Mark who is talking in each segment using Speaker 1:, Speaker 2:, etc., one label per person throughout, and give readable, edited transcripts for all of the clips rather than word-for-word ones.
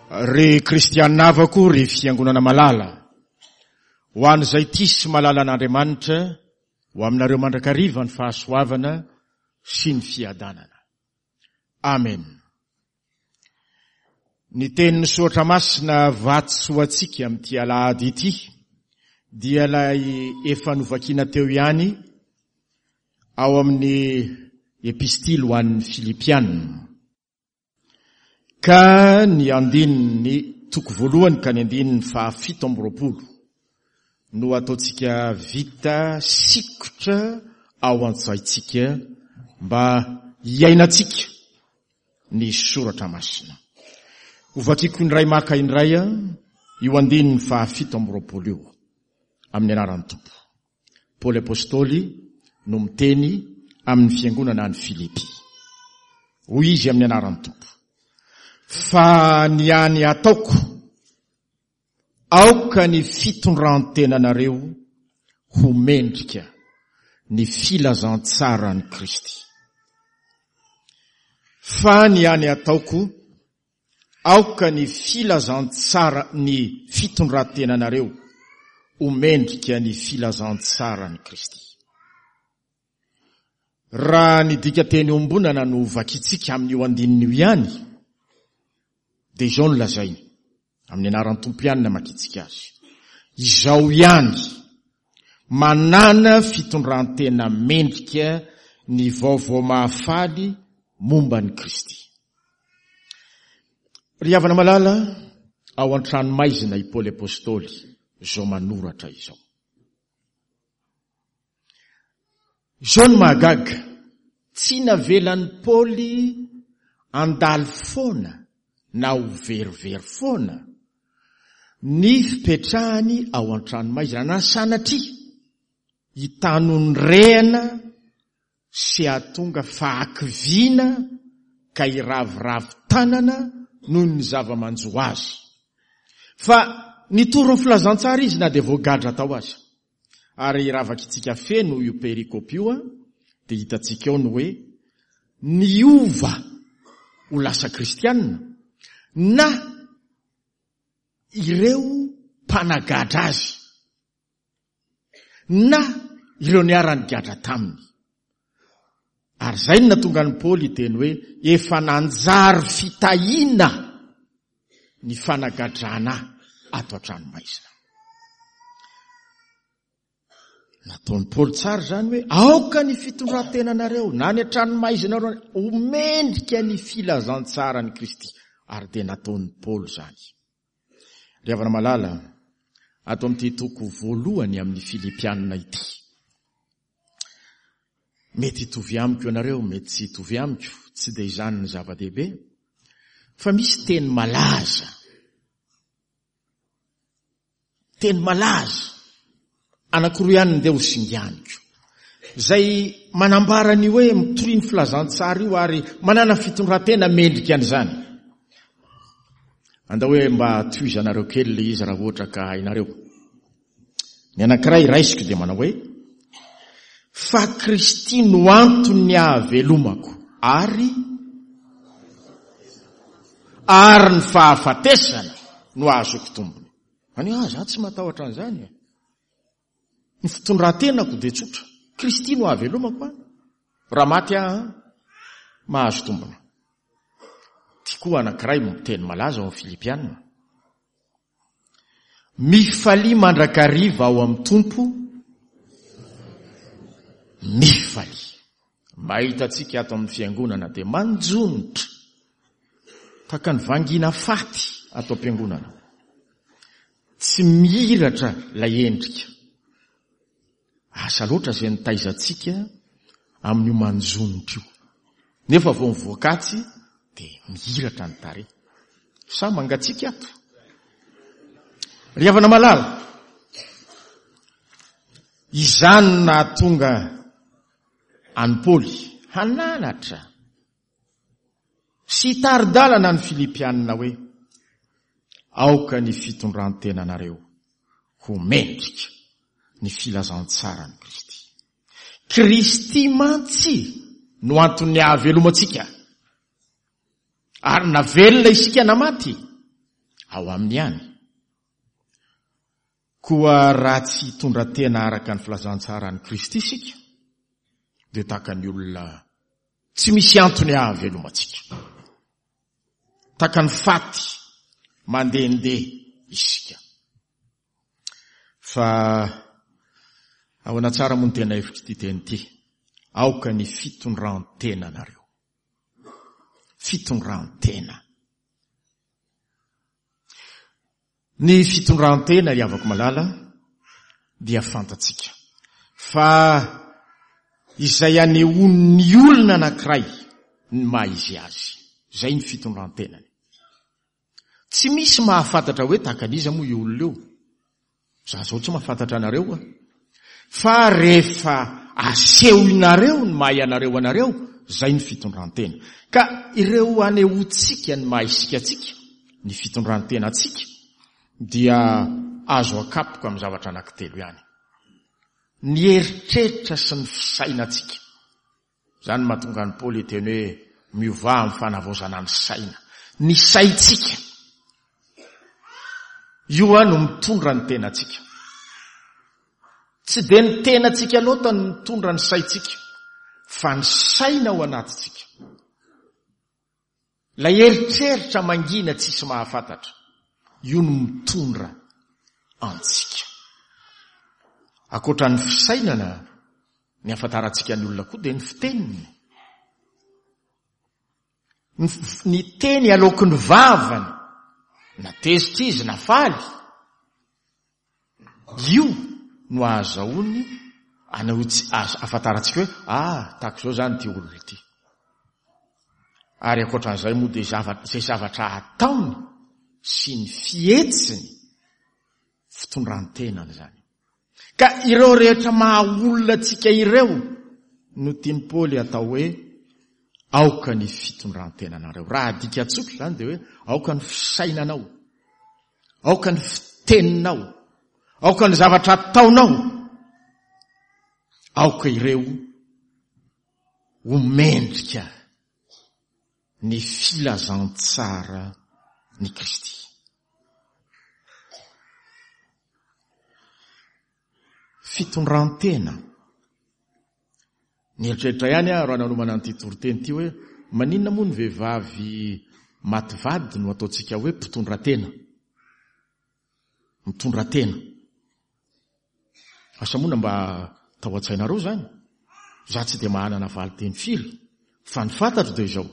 Speaker 1: Ry kristianina havako, ry fiangonana malala, ho an'izay tia sy malala an'Andriamanitra, ho aminareo mandrakariva ny fahasoavana sy ny fiadanana. Amen. Ny tenin'ny Soratra Masina vatsy ho antsika amin'ity alahady ity dia ilay efa novakiana teo ihany ao amin'ny epistily ho an'ny Filipiana. Ka ny andininy toko voalohany ka ny andininy faha 27 no ataontsika vita sikotra ao an-tsaintsika mba hiainantsika ny soratra masina. Hovakiko indray maka indray io andininy faha 27 io amin'ny anaran'ny Tompo. Paoly Apostoly no miteny amin'ny fiangonana any Filipy. Hoy izy amin'ny anaran'ny Tompo, Fa ny any ataoko, aoka ny fitondran-tenanareo ho mendrika ny filazantsaran'i Kristy. Fa ny any ataoko, Aoka ny filazantsara ny fitondrantenanareo ho mendrika ny filazantsaran'i Kristy. Raha ny dikanteny iombonana no vakintsika amin'io andininy io ihany, dia izao no lazainy, amin'ny anaran'ny Tompo ihany no amakintsika azy, Izao ihany, manàna fitondrantena mendrika ny vaovao mahafaly momba an'i Kristy. Ry havana malala, ao an-tranomaizina i Paoly Apostoly izao manoratra izao. Izao no mahagaga, tsy navelan'i Paoly handalo foana na ho verivery foana ny fipetrahany ao an-tranomaizina na sanatria hitanondrehana sy hahatonga fahakiviana ka hiraviravy tanana noho ny zava-manjo azy. Fa nitory ny filazantsara izy na dia voagadra tao aza. Ary raha vakintsika feno io perikopa io dia hitantsika ao ny hoe niova ho lasa kristianina na ireo mpanagadra azy. na ireo niara-nigadra taminy. Ary izay no nahatonga an'i Paoly hiteny hoe, Efa nanjary fitahiana ny fanagadrana ahy ato an-tranomaizina. Nataon'i Paoly tsara izany hoe, aoka ny fitondran-tenanareo na ny an-tranomaizinareo ho mendrika ny filazantsaran'i Kristy. Ary dia nataon'i Paoly izany. Ry havana malala, ato amin'ity toko voalohany amin'ny Filipianina ity. Mety hitovy amiko ianareo, mety tsy hitovy amiko, tsy dia izany ny zava-dehibe, fa misy teny malaza. Teny malaza anankiroa ihany ndeha ho singaniko. Izay manambara ny hoe mitory ny filazantsara io ary manana fitondran-tena mendrika an'izany. Andao hoe mba tohizanareo kely ilay izy raha ohatra ka hainareo. Ny anankiray raisiko dia manao hoe fa Kristy no anton'ny ahavelomako ary ary ny fahafatesana no ahazoako tombony. Any ah, za tsy matahotra an'izany e. Ny fitondran-tenako dia tsotra. Kristy no ahavelomako an. Raha maty aho an, mahazo tombony. Ty koa anankiray miteny malaza ao amin'ny Filipiana. Mifalia mandrakariva ao amin'ny Tompo, mifalia. Mahita antsika ato amin'ny fiangonana dia manjonitra. Tahaka ny vangiana faty ato am-piangonana. Tsy mihiratra ilay endrika. Asa loatra izay nitaiza antsika amin'io manjonitra io. Nefa vao mivoaka atsy dia mihiratra ny tarehy. Sa mangatsiaka ato? Ry havana malala, izany no nahatonga an'i Paoly hananatra sy hitari-dalana ny Filipianina hoe, Aoka ny fitondran-tenanareo ho mendrika ny filazantsaran'i Kristy. Kristy mantsy no anton'ny ahavelomantsika. Ary na velona isika na maty. Ao aminy ihany. Koa raha tsy hitondra tena araka ny filazantsaran'i Kristy isika, dia tahaka ny olona tsy misy antony hahavelomantsika. Tahaka ny faty mandehandeha isika. Fa ahoana tsara moa ny tena hevitr'ity teny ity? Aoka ny fitondran-tenanareo. Fitondran-tena. Ny fitondran-tena ry havako malala dia fantatsika fa izay anehoan'ny olona anankiray ny maha izy azy, izay ny fitondran-tenany. Tsy misy mahafantatra hoe tahaka an'iza moa io olona io. Za zao tsy mahafantatra anareo a. Fa rehefa asehonareo ny maha ianareo anareo, zay ny fitondrantena. Ka ireo anehoantsika ny maha isika antsika, ny fitondrantenantsika, dia azo akapoka amin'ny zavatra anankitelo ihany. Ny eritreritra sy ny fisainantsika. Izany no mahatonga an'i Paoly hiteny hoe miovà amin'ny fanavaozana ny saina. Ny saintsika. Io no mitondra ny tenantsika. Tsy dia ny tenantsika loatra no mitondra ny saintsika, fa ny saina ao anatintsika. Ilay eritreritra mangina tsisy mahafantatra, io no mitondra antsika. Ankoatra ny fisainana, ny ahafantarantsika ny olona koa dia ny fiteniny. Ny teny aloaky ny vavany, na tezitra izy na faly, Io no ahazahoany ahafantarantsika hoe ah, tahaka izao izany ity olona ity. Ary ankoatran'izay moa dia izay zavatra ataony sy ny fihetsiny, fitondran-tenany izany. Ka ireo rehetra maha olona antsika ireo no tian'i Paoly atao hoe aoka ny fitondran-tenanareo. Raha adika tsotra izany dia hoe aoka ny fisainanao. Aoka ny fiteninao. Aoka ny zavatra ataonao. Aoka ireo ho mendrika ny filazantsara ny Kristy. Fitondrantena. Nieritreritra ihany aho raha nanomana an'ity toriteny ity hoe maninona moa ny vehivavy maty vady no ataontsika hoe mpitondra tena? Mitondra tena. Asa moa na mba tao an-tsainareo izany? Za tsy dia mahanana valin-teny firy fa ny fantatro dia izao.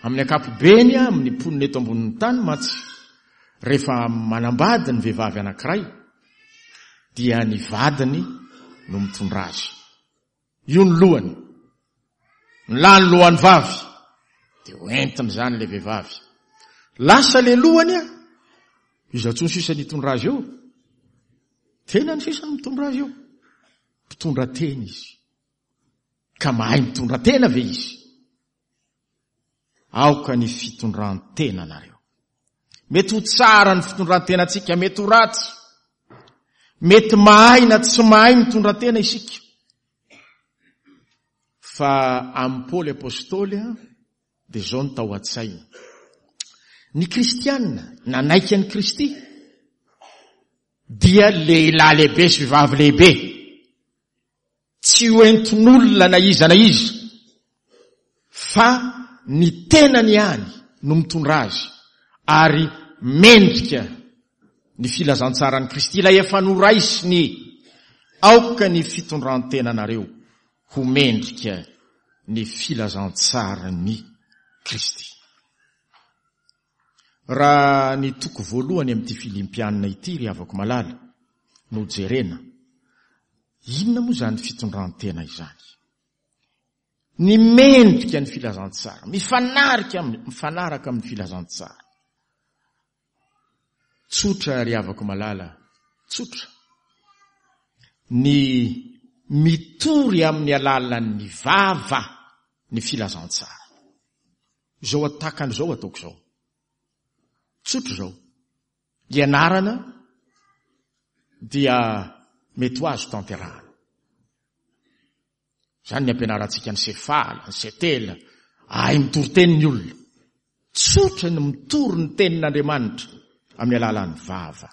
Speaker 1: Amin'ny ankapobeny amin'ny mponina eto ambonin'ny tany mantsy rehefa manambady ny vehivavy anankiray dia ny vadiny no mitondra azy. Io ny lohany. Ny lahy ny lohan'ny vavy. Dia ho entiny izany ilay vehivavy. Lasa ilay lohany a, iza intsony sisa ny hitondra azy eo? Tenany sisa no mitondra azy eo. Mpitondra tena izy. Ka mahay mitondra tena ve izy? Aoka ny fitondran-tenanareo. Mety ho tsara ny fitondran-tenantsika, mety ho ratsy. Mety mahay na tsy mahay mitondra tena isika. Fa amin'i Paoly Apostoly dia izao no tao an-tsainy. Ny kristiana nanaiky an'i Kristy dia lehilahy lehibe sy vehivavy lehibe. Tsy ho entin'olona na iza na iza fa ny tenany ihany no mitondra azy ary mendrika ny filazantsaran'i Kristy ilay efa noraisiny. Aoka ny fitondran-tenanareo ho mendrika ny filazantsaran'i Kristy. Raha ny toko voalohany amin'ity Filimpianina ity ry havako malala no jerena, inona moa izany fitondran-tena izany? Ny mendrika ny filazantsara, mifanarika mifanaraka amin'ny filazantsara. Tsotra ry havako malala, tsotra. Ny mitory amin'ny alalan'ny vava ny filazantsara. Izao atakany izao ataoko izao. Tsotra izao. Ianarana dia mety ho azo tanterahana. Izany ny ampianarantsika ny sefala, ny setela, ahay mitory teny ny olona. Tsotra ny mitory ny tenin'Andriamanitra. Amin'ny alalan'ny vava.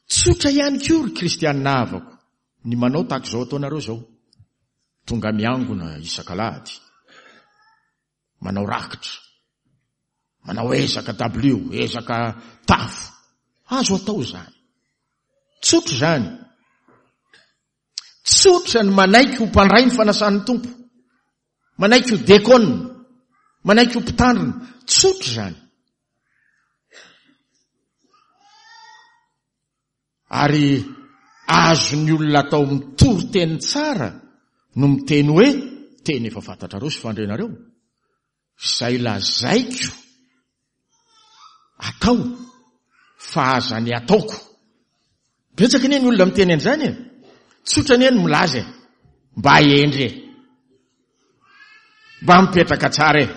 Speaker 1: Tsotra ihany koa ry kristianina havako ny manao tahaka izao ataonareo izao. Tonga miangona isak'alahady. Manao rakitra. Manao ezaka dabilio, ezaka tafo. Azo atao izany. Tsotra izany. Tsotra ny manaiky ho mpandray ny fanasan'ny Tompo. Manaiky ho dekona. Manaiky ho mpitandrina. Tsotra izany. Ary azon'ny olona atao mitory teny tsara no miteny hoe, teny efa fantatrareo sy fandrenareo, izay lazaiko atao fa aza ny ataoko. Betsaka anie ny olona miteny an'izany e. Tsotra anie ny milaza e. Mba hendry e. Mba mipetraka tsara e.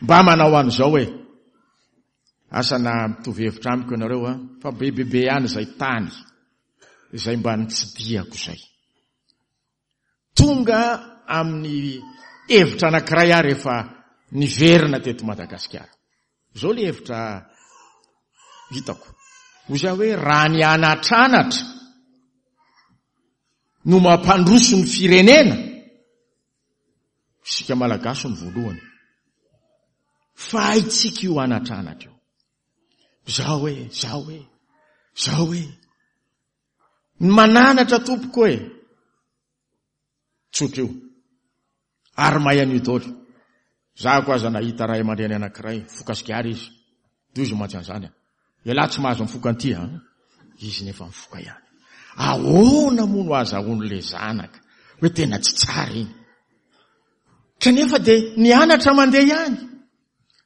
Speaker 1: Mba manao an'izao e. Asa na mitovy hevitra amiko ianareo a, fa be be be ihany izay tany izay mba nitsidihako izay. Tonga amin'ny hevitra anankiray aho rehefa niverina teto Madagasikara. Izao ilay hevitra hitako. Hoy izaho hoe raha ny anatranatra no mampandroso ny firenena, isika Malagasy no voalohany. Fa haintsika io anatranatra io. Zao e, zao e, zao e. Ny mananatra tompoko e. Tsotra io. Ary mahay an'io daholo. Zahako aza nahita ray aman-dreny anankiray, mifoka sigara izy. Doza mantsy an'izany a. Ialahy tsy mahazo mifoka an'ity a. Izy nefa mifoka ihany. Ahoana moa no azahoan'ilay zanaka hoe tena tsy tsara iny? Kanefa dia nianatra mandeha ihany.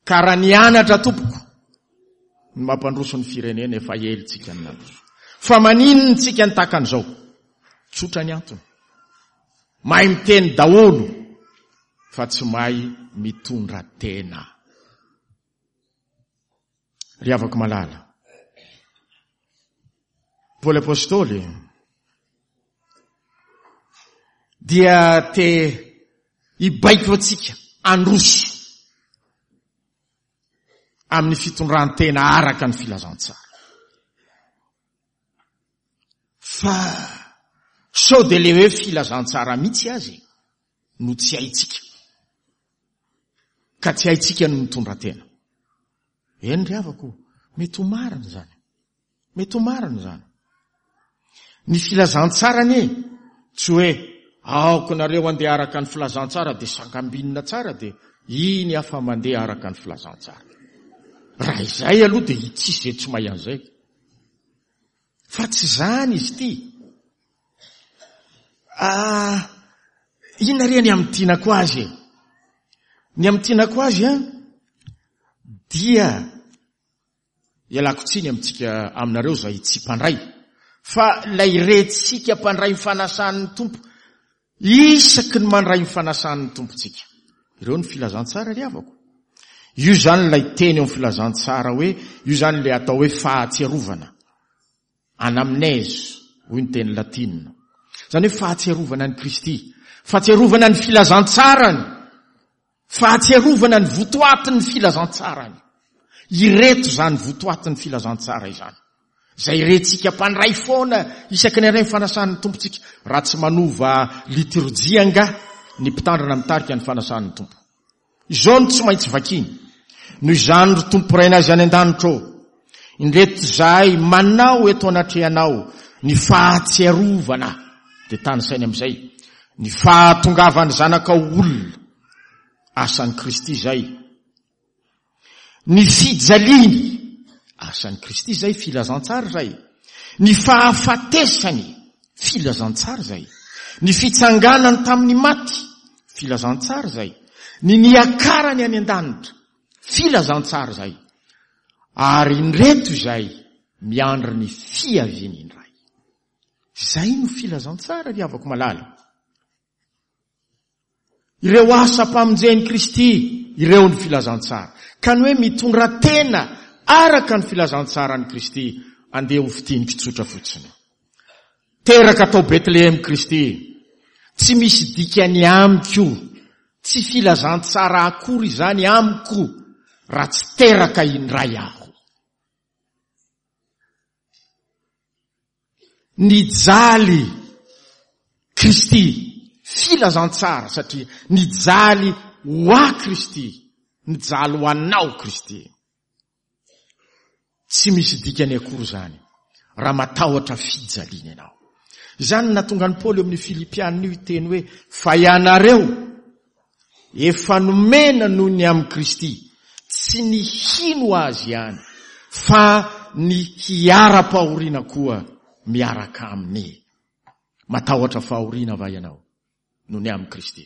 Speaker 1: Ka raha nianatra tompoko ny mampandroso ny firenena efa ela tsika ny nandroso. Fa maninona tsika ny tahaka an'izao? Tsotra ny antony. Mahay miteny daholo fa tsy mahay mitondra tena. Ry havako malala. Paoly Apostoly dia te hibaiko antsika handroso amin'ny fitondran-tena araka ny filazantsara. Fa sao dia le hoe filazantsara mihitsy azy no tsy haintsika. Ka tsy haintsika ny mitondra tena. Eny ry havako, mety ho marina izany. Mety ho marina izany. Ny filazantsara anie tsy hoe aoka nareo andeha araka ny filazantsara dia sangambinina tsara dia iny aho fa mandeha araka ny filazantsara. Raha izay aloha dia tsisy izay tsy mahay an'izay. Fa tsy izany izy ity. Ah, inona re ny amintinako azy e? Ny amintinako azy an, dia ialako tsiny amintsika aminareo izay tsy mpandray, fa ilay rentsika mpandray ny fanasan'ny Tompo, Isaky ny mandray ny fanasan'ny Tompontsika. Ireo ny filazantsara ry havako. Io izany ilay teny eo amin'ny filazantsara hoe, io izany ilay atao hoe fahatsiarovana. Anamnèse, hoy ny teny latina. Izany hoe fahatsiarovana an'i Kristy. Fahatsiarovana ny filazantsarany. Fahatsiarovana ny votoatin'ny filazantsarany. Ireto izany votoatin'ny filazantsara izany. Izay rentsika mpandray foana isaky ny handray ny fanasan'ny Tompontsika. Raha tsy manova litorjia angaha ny mpitandrina mitarika ny fanasan'ny Tompo. Izao no tsy maintsy vakiany. Noho izany ry Tompo Rainay izay any an-danitra ô, indreto izahay manao eto anatrehanao ny fahatsiarovana, dia tanisainy amin'izay, ny fahatongavan'ny Zanakao olona, asan'i Kristy izay, ny fijaliany, asan'i Kristy izay, filazantsara izay, ny fahafatesany, filazantsara izay, ny fitsanganany tamin'ny maty, filazantsara izay, ny niakarany any an-danitra, filazantsara izay, ary indreto izay miandry ny fiaviany indray. Izay no filazantsara ry havako malala. Ireo asam-pamonjen'i Kristy ireo ny filazantsara. Ka ny hoe mitondra tena araka ny filazantsaran'i Kristy, andeha ho fintiniko tsotra fotsiny. Teraka tao Betlehem Kristy. Tsy misy dikany amiko, tsy filazantsara akory izany amiko raha tsy teraka indray aho. Nijaly Kristy, filazantsara satria nijaly ho ahy Kristy, nijaly ho anao Kristy. Tsy misy dikany akory izany raha matahotra fijaliana ianao. Izany no nahatonga an'i Paoly eo amin'ny Filipiana io hiteny hoe, Fa ianareo efa nomena noho ny amin'i Kristy, tsy ny hino Azy ihany, fa ny hiara-pahoriana koa miaraka Aminy. Matahotra fahoriana va ianao noho ny amin'i Kristy?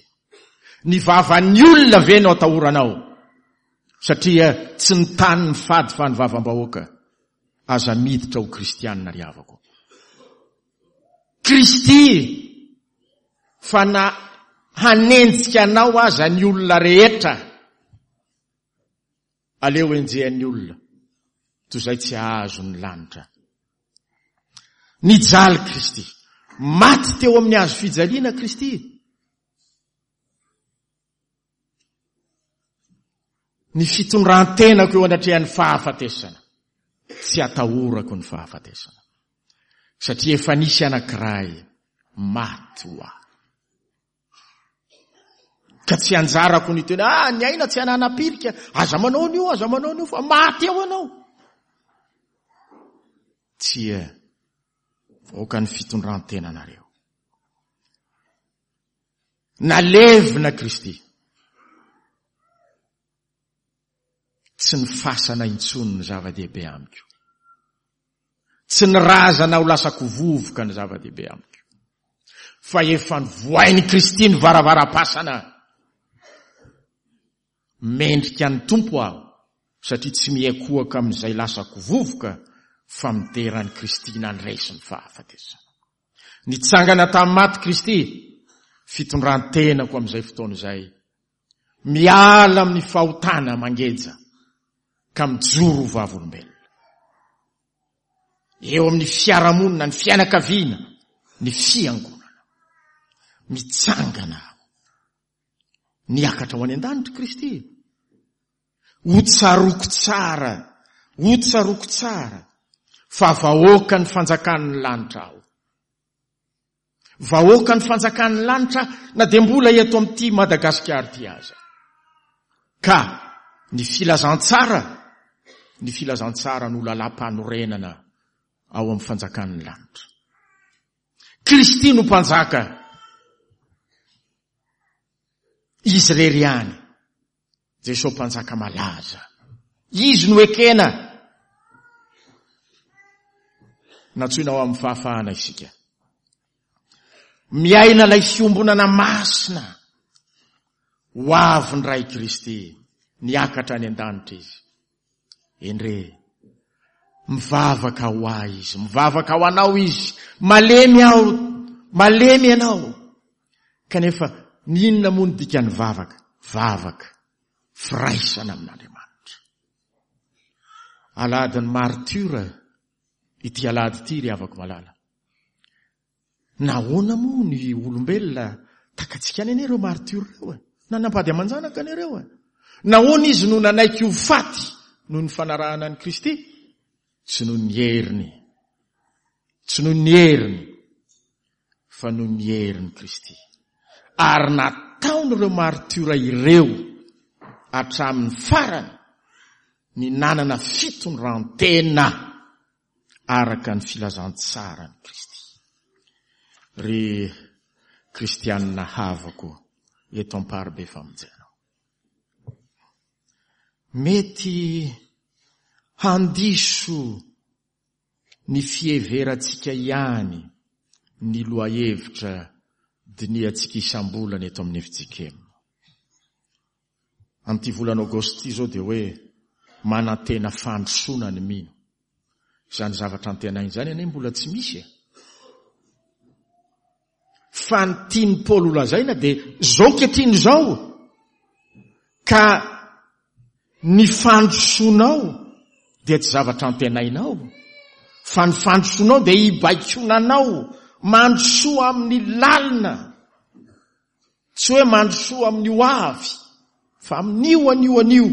Speaker 1: Ny vavan'ny olona ve no atahoranao? Satria tsy ny tany ny fady fa ny vavam-bahoaka. Aza miditra ho kristianina ry havako. Kristy fa na hanenjika anao aza ny olona rehetra, aleo enjehan'ny olona toy izay tsy hahazo ny lanitra. Nijaly Kristy. Maty teo amin'ny hazo fijaliana Kristy. Ny fitondran-tenako eo anatrehan'ny fahafatesana. Tsy atahorako ny fahafatesana. Satria efa nisy anankiray maty ho ahy. Ka tsy anjarako ny teny, ah, ny aina tsy ananam-pirika, aza manao an'io, aza manao an'io, fa maty eo ianao. Tsia, vahoaka ny fitondran-tenanareo. Nalevina Kristy. Tsy ny fasana intsony no zava-dehibe amiko. Tsy ny razana ho lasako vovoka no zava-dehibe amiko. Fa efa novohain'i Kristy ny varavaram-pasana. Mendrika ny Tompo aho satria tsy mihekohaka amin'izay lasako vovoka fa midera an'i Kristy nandresy ny fahafatesana. Nitsangana tamin'ny maty Kristy, fitondran-tenako amin'izay fotoana izay. Miala amin'ny fahotana mangeja ka mijoro ho vavolombelona. Eo amin'ny fiarahamonina, ny fianakaviana, ny fiangonana. Mitsangana aho. Niakatra ho any an-danitra Kristy. Ho tsaroako tsara, ho tsaroako tsara fa vahoakan'ny fanjakan'ny lanitra aho. Vahoakan'ny fanjakan'ny lanitra na dia mbola eto amin'ity Madagasikara ity aza. Ka ny filazantsara, ny filazantsara no lalam-panorenana ao amin'ny fanjakan'ny lanitra. Kristy no mpanjaka. Izy irery ihany. Jesoa Mpanjaka malaza. Izy no ekena. Nantsoina ho amin'ny fahafahana isika. Miaina ilay fiombonana masina. Ho avy ny Ray Kristy. Niakatra any an-danitra izy. Endre, mivavaka ho ahy izy, mivavaka ho anao izy. Malemy aho, malemy ianao. Kanefa, ny inona moa ny dikan'ny vavaka? Vavaka, firaisana amin'Andriamanitra. Alahadin'ny martiora ity alahady ity ry havako malala. Nahoana moa ny olombelona takatsika any anie ireo martiora ireo e? Nanambady aman-janaka anie ireo e? Nahoana izy no nanaiky ho faty noho ny fanarahana an'i Kristy? Tsy noho ny heriny. Tsy noho ny heriny, fa noho ny herin'i Kristy. Ary nataon'ireo martiora ireo hatramin'ny farany ny nanana fitondran-tena araka ny filazantsaran'i Kristy. Ry kristianina havako eto Amparibe Famonjena. Mety handiso ny fiheverantsika ihany ny lohahevitra dinihantsika isam-bolana eto amin'ny fjkm. Amin'ity volana Aogositra ity izao dia hoe manantena fandrosoana ny mino. Izany zavatra antenaina izany anie mbola tsy misy e. Fa ny tian'i Paoly holazaina dia izao ankehitriny izao ka ny fandrosoanao dia tsy zavatra antenainao fa ny fandrosoanao dia hibaikoana anao mandrosoa amin'ny lalina. Tsy hoe mandrosoa amin'ny ho avy fa amin'io anio anio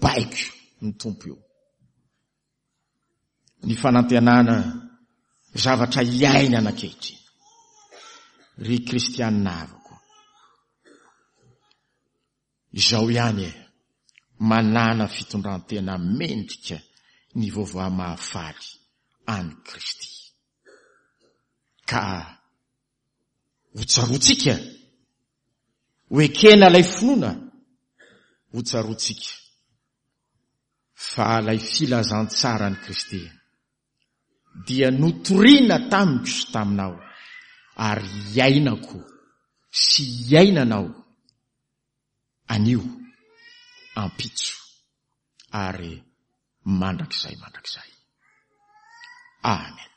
Speaker 1: baiko ny Tompo io. Ny fanantenana Zavatra iainana ankehitriny. Ry kristianina havako, izao ihany e, manàna fitondran-tena mendrika ny vaovao mahafaly an'i Kristy. Ka ho tsaroantsika, ho ekena ilay finoana, ho tsaroantsika fa ilay filazantsaran'i Kristy dia notorina tamiko sy taminao ary iainako sy iainanao anio, ampitso ary mandrakizay mandrakizay. Amen.